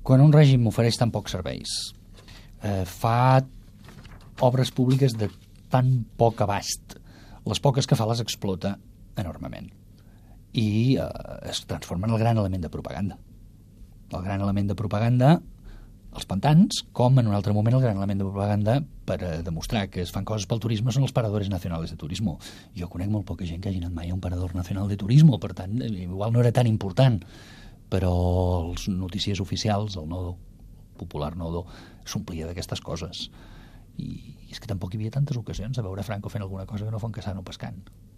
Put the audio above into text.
Quan un règim ofereix tan pocs serveis, fa obres públiques de tan poc abast, les poques que fa les explota enormement i es transforma en el gran element de propaganda. El gran element de propaganda, els pantans, com en un altre moment el gran element de propaganda per demostrar que es fan coses pel turisme són els paradores nacionals de turisme. Jo conec molt poca gent que hagi anat mai a un parador nacional de turisme, per tant, igual no era tan important, però els noticiers oficials, el Nodo, el popular Nodo, s'omplia d'aquestes coses. I és que tampoc hi havia tantes ocasions a veure Franco fent alguna cosa que no fos caçant o pescant.